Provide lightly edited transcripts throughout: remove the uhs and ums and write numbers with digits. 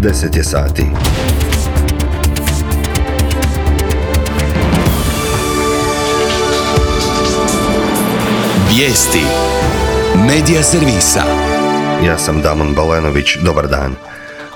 10 je sati. Vijesti Medija servisa. Ja sam Damon Balenović, dobar dan.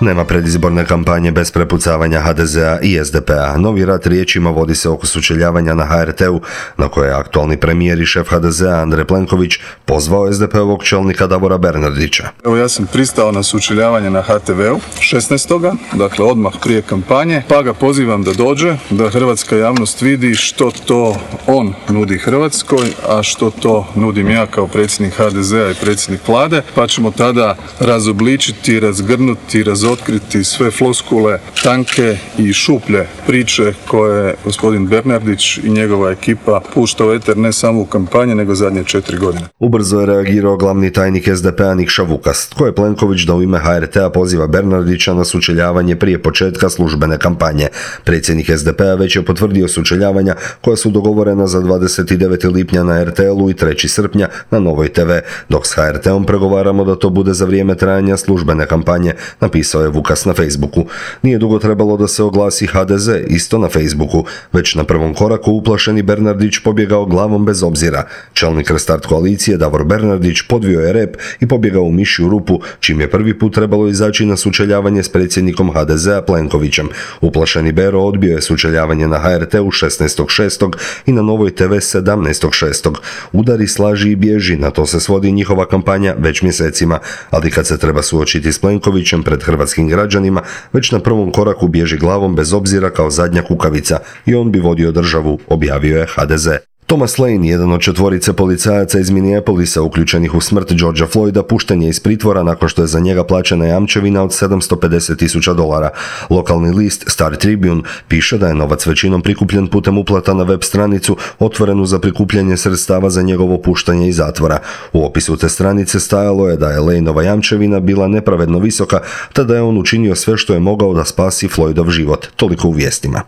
Nema predizborne kampanje bez prepucavanja HDZ-a i SDP-a. Novi rat riječima vodi se oko sučeljavanja na HRT-u, na koje je aktualni premijer i šef HDZ-a Andrej Plenković pozvao SDP-ovog čelnika Davora Bernardića. Evo, ja sam pristao na sučeljavanje na HTV-u 16. dakle odmah prije kampanje, pa ga pozivam da dođe, da hrvatska javnost vidi što to on nudi Hrvatskoj, a što to nudim ja kao predsjednik HDZ-a i predsjednik Vlade, pa ćemo tada razobličiti, razgrnuti, otkriti sve floskule, tanke i šuplje priče koje gospodin Bernardić i njegova ekipa pušta u eter ne samo u kampanji, nego zadnje 4 godine. Ubrzo je reagirao glavni tajnik SDP-a Nikša Vukas, koji je Plenković da u ime HRT-a poziva Bernardića na sučeljavanje prije početka službene kampanje. Predsjednik SDP-a već je potvrdio sučeljavanja koja su dogovorena za 29. lipnja na RTL-u i 3. srpnja na Novoj TV, dok s HRT-om pregovaramo da to bude za vrijeme trajanja službene kampanje, napisao je Vukas na Facebooku. Nije dugo trebalo da se oglasi HDZ, isto na Facebooku. Već na prvom koraku uplašeni Bernardić pobjegao glavom bez obzira. Čelnik Restart koalicije Davor Bernardić podvio je rep i pobjegao u mišju rupu, čim je prvi put trebalo izaći na sučeljavanje s predsjednikom HDZ-a Plenkovićem. Uplašeni Bero odbio je sučeljavanje na HRT-u 16.6. i na Novoj TV 17.6. Udari, slaži i bježi, na to se svodi njihova kampanja već mjesecima, ali kad se treba suočiti s Plenkovićem pred hrvatskim građanima, već na prvom koraku bježi glavom bez obzira kao zadnja kukavica i on bi vodio državu, objavio je HDZ. Thomas Lane, jedan od 4 policajaca iz Minneapolisa uključenih u smrt Georgea Floyda, pušten je iz pritvora nakon što je za njega plaćena jamčevina od $750,000. Lokalni list Star Tribune piše da je novac većinom prikupljen putem uplata na web stranicu otvorenu za prikupljanje sredstava za njegovo puštanje iz zatvora. U opisu te stranice stajalo je da je Laneova jamčevina bila nepravedno visoka, te da je on učinio sve što je mogao da spasi Floydov život. Toliko u vijestima.